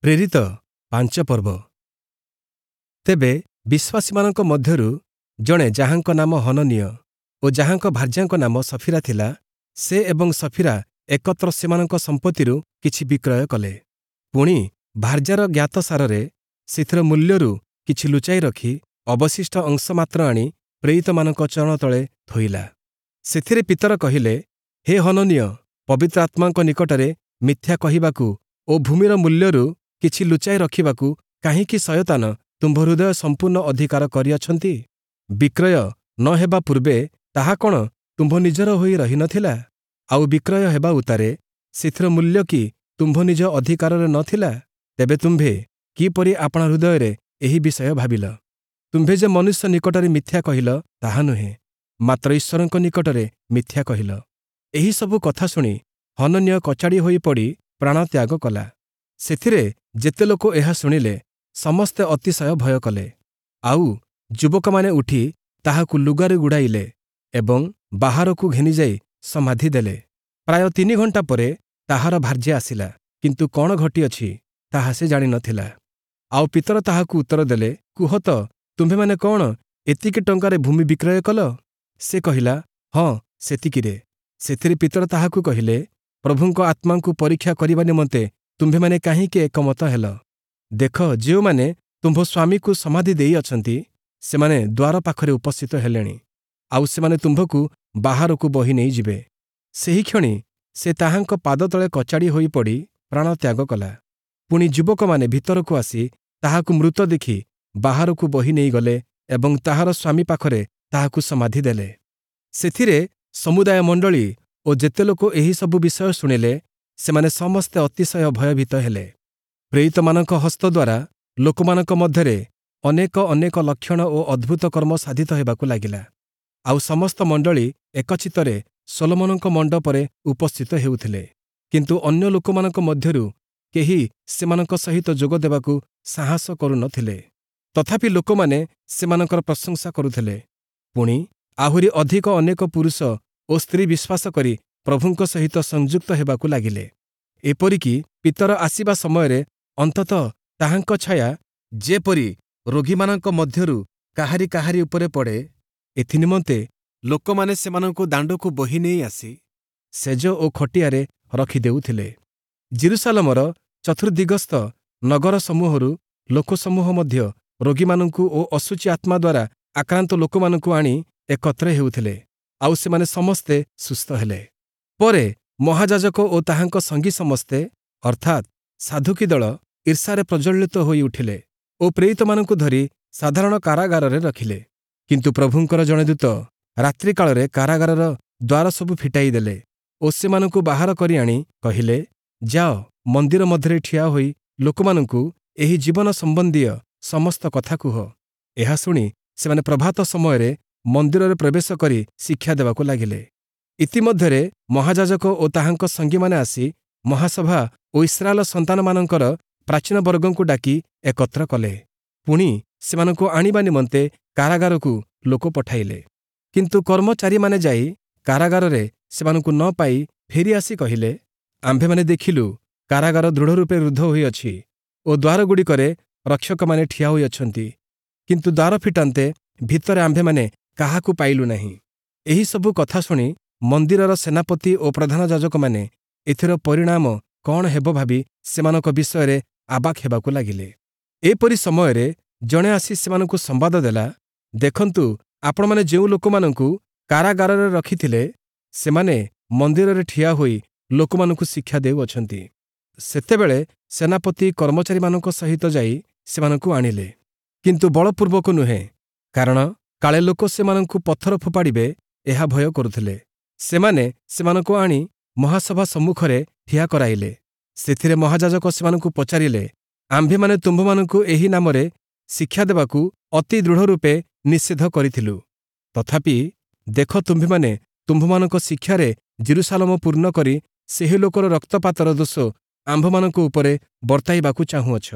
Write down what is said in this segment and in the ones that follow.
ପ୍ରେରିତ 5 ପର୍ବ। ତେବେ ବିଶ୍ୱାସୀମାନଙ୍କ ମଧ୍ୟରୁ ଜଣେ, ଯାହାଙ୍କ ନାମ ହନନୀୟ ଓ ଯାହାଙ୍କ ଭାର୍ଯ୍ୟାଙ୍କ ନାମ ସଫୀରା ଥିଲା, ସେ ଏବଂ ସଫୀରା ଏକତ୍ର ସେମାନଙ୍କ ସମ୍ପତ୍ତିରୁ କିଛି ବିକ୍ରୟ କଲେ। ପୁଣି ଭାର୍ଯ୍ୟାର ଜ୍ଞାତସାରରେ ସେଥିର ମୂଲ୍ୟରୁ କିଛି ଲୁଚାଇ ରଖି ଅବଶିଷ୍ଟ ଅଂଶ ମାତ୍ର ଆଣି ପ୍ରେରିତମାନଙ୍କ ଚରଣ ତଳେ ଥୋଇଲା। ସେଥିରେ ପିତର କହିଲେ, ହେ ହନନୀୟ, ପବିତ୍ର ଆତ୍ମାଙ୍କ ନିକଟରେ ମିଥ୍ୟା କହିବାକୁ ଓ ଭୂମିର ମୂଲ୍ୟରୁ କିଛି ଲୁଚାଇ ରଖିବାକୁ କାହିଁକି ଶୟତାନ ତୁମ୍ଭ ହୃଦୟ ସମ୍ପୂର୍ଣ୍ଣ ଅଧିକାର କରିଅଛନ୍ତି? ବିକ୍ରୟ ନ ହେବା ପୂର୍ବେ ତାହା କ'ଣ ତୁମ୍ଭ ନିଜର ହୋଇ ରହିନଥିଲା? ଆଉ ବିକ୍ରୟ ହେବା ଉତ୍ତାରେ ସେଥିର ମୂଲ୍ୟ କି ତୁମ୍ଭ ନିଜ ଅଧିକାରରେ ନ ଥିଲା? ତେବେ ତୁମ୍ଭେ କିପରି ଆପଣା ହୃଦୟରେ ଏହି ବିଷୟ ଭାବିଲ? ତୁମ୍ଭେ ଯେ ମନୁଷ୍ୟ ନିକଟରେ ମିଥ୍ୟା କହିଲ, ତାହା ନୁହେଁ, ମାତ୍ର ଈଶ୍ୱରଙ୍କ ନିକଟରେ ମିଥ୍ୟା କହିଲ। ଏହିସବୁ କଥା ଶୁଣି ହନନୀୟ କଚାଡ଼ି ହୋଇ ପଡ଼ି ପ୍ରାଣତ୍ୟାଗ କଲା। ସେଥିରେ ଯେତେ ଲୋକ ଏହା ଶୁଣିଲେ, ସମସ୍ତେ ଅତିଶୟ ଭୟ କଲେ। ଆଉ ଯୁବକମାନେ ଉଠି ତାହାକୁ ଲୁଗାରେ ଗୁଡ଼ାଇଲେ ଏବଂ ବାହାରକୁ ଘେନିଯାଇ ସମାଧି ଦେଲେ। ପ୍ରାୟ 3 ଘଣ୍ଟା ପରେ ତାହାର ଭାର୍ଯ୍ୟା ଆସିଲା, କିନ୍ତୁ କ'ଣ ଘଟିଅଛି ତାହା ସେ ଜାଣିନଥିଲା। ଆଉ ପିତର ତାହାକୁ ଉତ୍ତର ଦେଲେ, କୁହ ତ, ତୁମ୍ଭେମାନେ କ'ଣ ଏତିକି ଟଙ୍କାରେ ଭୂମି ବିକ୍ରୟ କଲ? ସେ କହିଲା, ହଁ, ସେତିକିରେ। ସେଥିରେ ପିତର ତାହାକୁ କହିଲେ, ପ୍ରଭୁଙ୍କ ଆତ୍ମାଙ୍କୁ ପରୀକ୍ଷା କରିବା ନିମନ୍ତେ ତୁମ୍ଭେମାନେ କାହିଁକି ଏକମତ ହେଲ? ଦେଖ, ଯେଉଁମାନେ ତୁମ୍ଭ ସ୍ୱାମୀକୁ ସମାଧି ଦେଇଅଛନ୍ତି, ସେମାନେ ଦ୍ୱାର ପାଖରେ ଉପସ୍ଥିତ ହେଲେଣି, ଆଉ ସେମାନେ ତୁମ୍ଭକୁ ବାହାରକୁ ବହି ନେଇଯିବେ। ସେହିକ୍ଷଣି ସେ ତାହାଙ୍କ ପାଦତଳେ କଚାଡ଼ି ହୋଇ ପଡ଼ି ପ୍ରାଣତ୍ୟାଗ କଲା। ପୁଣି ଯୁବକମାନେ ଭିତରକୁ ଆସି ତାହାକୁ ମୃତ ଦେଖି ବାହାରକୁ ବହି ନେଇଗଲେ ଏବଂ ତାହାର ସ୍ୱାମୀ ପାଖରେ ତାହାକୁ ସମାଧି ଦେଲେ। ସେଥିରେ ସମୁଦାୟ ମଣ୍ଡଳୀ ଓ ଯେତେ ଲୋକ ଏହିସବୁ ବିଷୟ ଶୁଣିଲେ, ସେମାନେ ସମସ୍ତେ ଅତିଶୟ ଭୟଭୀତ ହେଲେ। ପ୍ରେରିତମାନଙ୍କ ହସ୍ତ ଦ୍ୱାରା ଲୋକମାନଙ୍କ ମଧ୍ୟରେ ଅନେକ ଅନେକ ଲକ୍ଷଣ ଓ ଅଦ୍ଭୁତ କର୍ମ ସାଧିତ ହେବାକୁ ଲାଗିଲା। ଆଉ ସମସ୍ତ ମଣ୍ଡଳୀ ଏକଚିତ୍ତରେ ସୋଲୋମନଙ୍କ ମଣ୍ଡପରେ ଉପସ୍ଥିତ ହେଉଥିଲେ। କିନ୍ତୁ ଅନ୍ୟ ଲୋକମାନଙ୍କ ମଧ୍ୟରୁ କେହି ସେମାନଙ୍କ ସହିତ ଯୋଗ ଦେବାକୁ ସାହସ କରୁନଥିଲେ। ତଥାପି ଲୋକମାନେ ସେମାନଙ୍କର ପ୍ରଶଂସା କରୁଥିଲେ। ପୁଣି ଆହୁରି ଅଧିକ ଅନେକ ପୁରୁଷ ଓ ସ୍ତ୍ରୀ ବିଶ୍ୱାସ କରି ପ୍ରଭୁଙ୍କ ସହିତ ସଂଯୁକ୍ତ ହେବାକୁ ଲାଗିଲେ। ଏପରିକି ପିତର ଆସିବା ସମୟରେ ଅନ୍ତତଃ ତାହାଙ୍କ ଛାୟା ଯେପରି ରୋଗୀମାନଙ୍କ ମଧ୍ୟରୁ କାହାରି କାହାରି ଉପରେ ପଡ଼େ, ଏଥିନିମନ୍ତେ ଲୋକମାନେ ସେମାନଙ୍କୁ ଦାଣ୍ଡକୁ ବୋହି ନେଇ ଆସି ଶେଯ ଓ ଖଟିଆରେ ରଖିଦେଉଥିଲେ। ଯିରୂଶାଲମର ଚତୁର୍ଦ୍ଦିଗସ୍ଥ ନଗର ସମୂହରୁ ଲୋକସମୂହ ମଧ୍ୟ ରୋଗୀମାନଙ୍କୁ ଓ ଅଶୁଚି ଆତ୍ମା ଦ୍ୱାରା ଆକ୍ରାନ୍ତ ଲୋକମାନଙ୍କୁ ଆଣି ଏକତ୍ର ହେଉଥିଲେ, ଆଉ ସେମାନେ ସମସ୍ତେ ସୁସ୍ଥ ହେଲେ। ପରେ ମହାଯାଜକ ଓ ତାହାଙ୍କ ସଙ୍ଗୀ ସମସ୍ତେ, ଅର୍ଥାତ୍ ସାଧୁକୀ ଦଳ, ଈର୍ଷାରେ ପ୍ରଜ୍ୱଳିତ ହୋଇ ଉଠିଲେ ଓ ପ୍ରେରିତମାନଙ୍କୁ ଧରି ସାଧାରଣ କାରାଗାରରେ ରଖିଲେ। କିନ୍ତୁ ପ୍ରଭୁଙ୍କର ଜଣେ ଦୂତ ରାତ୍ରିକାଳରେ କାରାଗାରର ଦ୍ୱାର ସବୁ ଫିଟାଇ ଦେଲେ ଓ ସେମାନଙ୍କୁ ବାହାର କରି ଆଣି କହିଲେ, ଯାଅ, ମନ୍ଦିର ମଧ୍ୟରେ ଠିଆ ହୋଇ ଲୋକମାନଙ୍କୁ ଏହି ଜୀବନ ସମ୍ବନ୍ଧୀୟ ସମସ୍ତ କଥା କୁହ। ଏହା ଶୁଣି ସେମାନେ ପ୍ରଭାତ ସମୟରେ ମନ୍ଦିରରେ ପ୍ରବେଶ କରି ଶିକ୍ଷା ଦେବାକୁ ଲାଗିଲେ। ଇତିମଧ୍ୟରେ ମହାଯାଜକ ଓ ତାହାଙ୍କ ସଙ୍ଗୀମାନେ ଆସି ମହାସଭା ଓ ଇସ୍ରାଏଲ ସନ୍ତାନମାନଙ୍କର ପ୍ରାଚୀନ ବର୍ଗଙ୍କୁ ଡାକି ଏକତ୍ର କଲେ। ପୁଣି ସେମାନଙ୍କୁ ଆଣିବା ନିମନ୍ତେ କାରାଗାରକୁ ଲୋକ ପଠାଇଲେ। କିନ୍ତୁ କର୍ମଚାରୀମାନେ ଯାଇ କାରାଗାରରେ ସେମାନଙ୍କୁ ନ ପାଇ ଫେରିଆସି କହିଲେ, ଆମ୍ଭେମାନେ ଦେଖିଲୁ, କାରାଗାର ଦୃଢ଼ରୂପେ ରୁଦ୍ଧ ହୋଇଅଛି ଓ ଦ୍ୱାରଗୁଡ଼ିକରେ ରକ୍ଷକମାନେ ଠିଆ ହୋଇଅଛନ୍ତି, କିନ୍ତୁ ଦ୍ୱାର ଫିଟାନ୍ତେ ଭିତରେ ଆମ୍ଭେମାନେ କାହାକୁ ପାଇଲୁ ନାହିଁ। ଏହିସବୁ କଥା ଶୁଣି ମନ୍ଦିରର ସେନାପତି ଓ ପ୍ରଧାନ ଯାଜକମାନେ ଏଥିର ପରିଣାମ କ'ଣ ହେବ ଭାବି ସେମାନଙ୍କ ବିଷୟରେ ଆବାକ୍ ହେବାକୁ ଲାଗିଲେ। ଏପରି ସମୟରେ ଜଣେ ଆସି ସେମାନଙ୍କୁ ସମ୍ବାଦ ଦେଲା, ଦେଖନ୍ତୁ, ଆପଣମାନେ ଯେଉଁ ଲୋକମାନଙ୍କୁ କାରାଗାରରେ ରଖିଥିଲେ, ସେମାନେ ମନ୍ଦିରରେ ଠିଆ ହୋଇ ଲୋକମାନଙ୍କୁ ଶିକ୍ଷା ଦେଉଅଛନ୍ତି। ସେତେବେଳେ ସେନାପତି କର୍ମଚାରୀମାନଙ୍କ ସହିତ ଯାଇ ସେମାନଙ୍କୁ ଆଣିଲେ, କିନ୍ତୁ ବଳପୂର୍ବକ ନୁହେଁ, କାରଣ କାଳେ ଲୋକ ସେମାନଙ୍କୁ ପଥର ଫୋପାଡ଼ିବେ, ଏହା ଭୟ କରୁଥିଲେ। ସେମାନେ ସେମାନଙ୍କୁ ଆଣି ମହାସଭା ସମ୍ମୁଖରେ ଠିଆ କରାଇଲେ। ସେଥିରେ ମହାଯାଜକ ସେମାନଙ୍କୁ ପଚାରିଲେ, ଆମ୍ଭେମାନେ ତୁମ୍ଭମାନଙ୍କୁ ଏହି ନାମରେ ଶିକ୍ଷା ଦେବାକୁ ଅତି ଦୃଢ଼ ରୂପେ ନିଷେଧ କରିଥିଲୁ। ତଥାପି ଦେଖ, ତୁମ୍ଭେମାନେ ତୁମ୍ଭମାନଙ୍କ ଶିକ୍ଷାରେ ଯିରୂଶାଲମ ପୂର୍ଣ୍ଣ କରି ସେହି ଲୋକର ରକ୍ତପାତର ଦୋଷ ଆମ୍ଭମାନଙ୍କ ଉପରେ ବର୍ତ୍ତାଇବାକୁ ଚାହୁଁଅଛ।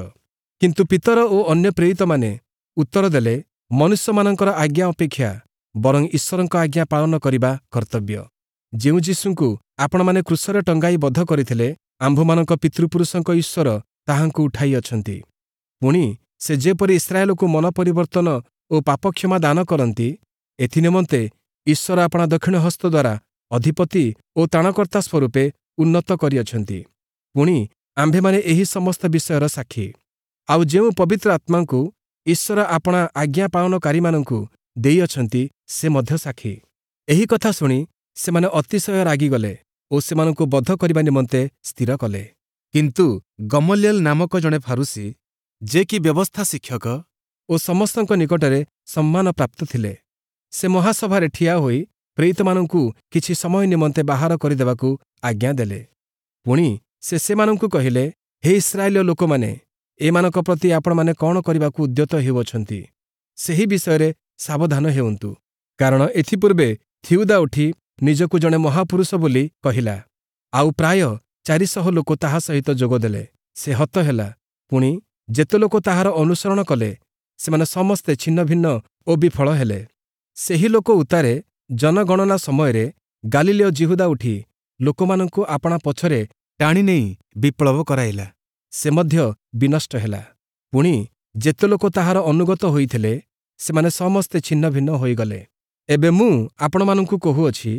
କିନ୍ତୁ ପିତର ଓ ଅନ୍ୟ ପ୍ରେରିତମାନେ ଉତ୍ତର ଦେଲେ, ମନୁଷ୍ୟମାନଙ୍କର ଆଜ୍ଞା ଅପେକ୍ଷା ବରଂ ଈଶ୍ୱରଙ୍କ ଆଜ୍ଞା ପାଳନ କରିବା କର୍ତ୍ତବ୍ୟ। ଯେଉଁ ଯୀଶୁଙ୍କୁ ଆପଣମାନେ କ୍ରୁଶରେ ଟଙ୍ଗାଇ ବଧ କରିଥିଲେ, ଆମ୍ଭମାନଙ୍କ ପିତୃପୁରୁଷଙ୍କ ଈଶ୍ୱର ତାହାଙ୍କୁ ଉଠାଇଅଛନ୍ତି। ପୁଣି ସେ ଯେପରି ଇସ୍ରାଏଲକୁ ମନ ପରିବର୍ତ୍ତନ ଓ ପାପକ୍ଷମା ଦାନ କରନ୍ତି, ଏଥିନିମନ୍ତେ ଈଶ୍ୱର ଆପଣା ଦକ୍ଷିଣ ହସ୍ତ ଦ୍ୱାରା ଅଧିପତି ଓ ତ୍ରାଣକର୍ତ୍ତା ସ୍ୱରୂପେ ଉନ୍ନତ କରିଅଛନ୍ତି। ପୁଣି ଆମ୍ଭେମାନେ ଏହି ସମସ୍ତ ବିଷୟର ସାକ୍ଷୀ। ଆଉ ଯେଉଁ ପବିତ୍ର ଆତ୍ମାଙ୍କୁ ଈଶ୍ୱର ଆପଣା ଆଜ୍ଞା ପାଳନକାରୀମାନଙ୍କୁ ଦେଇଅଛନ୍ତି, ସେ ମଧ୍ୟ ସାକ୍ଷୀ। ଏହି କଥା ଶୁଣି ସେମାନେ ଅତିଶୟ ରାଗିଗଲେ ଓ ସେମାନଙ୍କୁ ବଧ କରିବା ନିମନ୍ତେ ସ୍ଥିର କଲେ। କିନ୍ତୁ ଗମଲିଏଲ ନାମକ ଜଣେ ଫାରୂଶୀ, ଯେ କି ବ୍ୟବସ୍ଥା ଶିକ୍ଷକ ଓ ସମସ୍ତଙ୍କ ନିକଟରେ ସମ୍ମାନ ପ୍ରାପ୍ତ ଥିଲେ, ସେ ମହାସଭାରେ ଠିଆ ହୋଇ ପ୍ରେରିତମାନଙ୍କୁ କିଛି ସମୟ ନିମନ୍ତେ ବାହାର କରିଦେବାକୁ ଆଜ୍ଞା ଦେଲେ। ପୁଣି ସେ ସେମାନଙ୍କୁ କହିଲେ, ହେ ଇସ୍ରାଏଲୀୟ ଲୋକମାନେ, ଏମାନଙ୍କ ପ୍ରତି ଆପଣମାନେ କ'ଣ କରିବାକୁ ଉଦ୍ୟତ ହେଉଅଛନ୍ତି, ସେହି ବିଷୟରେ ସାବଧାନ ହେଉନ୍ତୁ। କାରଣ ଏଥିପୂର୍ବେ ଥିଉଦା ଉଠି ନିଜକୁ ଜଣେ ମହାପୁରୁଷ ବୋଲି କହିଲା, ଆଉ ପ୍ରାୟ 400 ଲୋକ ତାହା ସହିତ ଯୋଗ ଦେଲେ। ସେ ହତ ହେଲା, ପୁଣି ଯେତେ ଲୋକ ତାହାର ଅନୁସରଣ କଲେ, ସେମାନେ ସମସ୍ତେ ଛିନ୍ନଭିନ୍ନ ଓ ବିଫଳ ହେଲେ। ସେହି ଲୋକ ଉତ୍ତାରେ ଜନଗଣନା ସମୟରେ ଗାଲିଲୀୟ ଯିହୁଦା ଉଠି ଲୋକମାନଙ୍କୁ ଆପଣା ପଛରେ ଟାଣି ନେଇ ବିପ୍ଳବ କରାଇଲା। ସେ ମଧ୍ୟ ବିନଷ୍ଟ ହେଲା। ପୁଣି ଯେତେ ଲୋକ ତାହାର ଅନୁଗତ ହୋଇଥିଲେ, ସେମାନେ ସମସ୍ତେ ଛିନ୍ନଭିନ୍ନ ହୋଇଗଲେ। ଏବେ ମୁଁ ଆପଣମାନଙ୍କୁ କହୁଅଛି,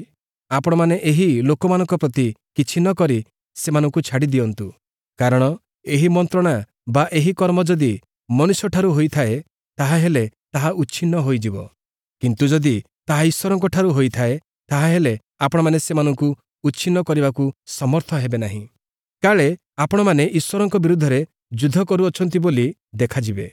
ଆପଣମାନେ ଏହି ଲୋକମାନଙ୍କ ପ୍ରତି କିଛି ନ କରି ସେମାନଙ୍କୁ ଛାଡ଼ି ଦିଅନ୍ତୁ। କାରଣ ଏହି ମନ୍ତ୍ରଣା ବା ଏହି କର୍ମ ଯଦି ମନୁଷ୍ୟଠାରୁ ହୋଇଥାଏ, ତାହାହେଲେ ତାହା ଉଚ୍ଛିନ୍ନ ହୋଇଯିବ। କିନ୍ତୁ ଯଦି ତାହା ଈଶ୍ୱରଙ୍କଠାରୁ ହୋଇଥାଏ, ତାହାହେଲେ ଆପଣମାନେ ସେମାନଙ୍କୁ ଉଚ୍ଛିନ୍ନ କରିବାକୁ ସମର୍ଥ ହେବେ ନାହିଁ। କାଳେ ଆପଣମାନେ ଈଶ୍ୱରଙ୍କ ବିରୁଦ୍ଧରେ ଯୁଦ୍ଧ କରୁଅଛନ୍ତି ବୋଲି ଦେଖାଯିବେ।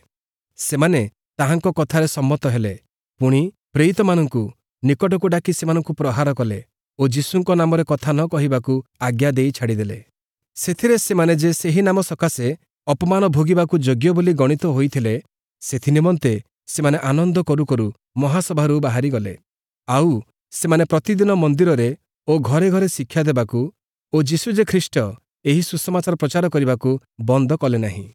ସେମାନେ ତାହାଙ୍କ କଥାରେ ସମ୍ମତ ହେଲେ। ପୁଣି ପ୍ରେରିତମାନଙ୍କୁ ନିକଟକୁ ଡାକି ସେମାନଙ୍କୁ ପ୍ରହାର କଲେ ଓ ଯୀଶୁଙ୍କ ନାମରେ କଥା ନ କହିବାକୁ ଆଜ୍ଞା ଦେଇ ଛାଡ଼ିଦେଲେ। ସେଥିରେ ସେମାନେ ଯେ ସେହି ନାମ ସକାଶେ ଅପମାନ ଭୋଗିବାକୁ ଯୋଗ୍ୟ ବୋଲି ଗଣିତ ହୋଇଥିଲେ, ସେଥିନିମନ୍ତେ ସେମାନେ ଆନନ୍ଦ କରୁ କରୁ ମହାସଭାରୁ ବାହାରିଗଲେ। ଆଉ ସେମାନେ ପ୍ରତିଦିନ ମନ୍ଦିରରେ ଓ ଘରେ ଘରେ ଶିକ୍ଷା ଦେବାକୁ ଓ ଯୀଶୁ ଯେ ଖ୍ରୀଷ୍ଟ, ଏହି ସୁସମାଚାର ପ୍ରଚାର କରିବାକୁ ବନ୍ଦ କଲେ ନାହିଁ।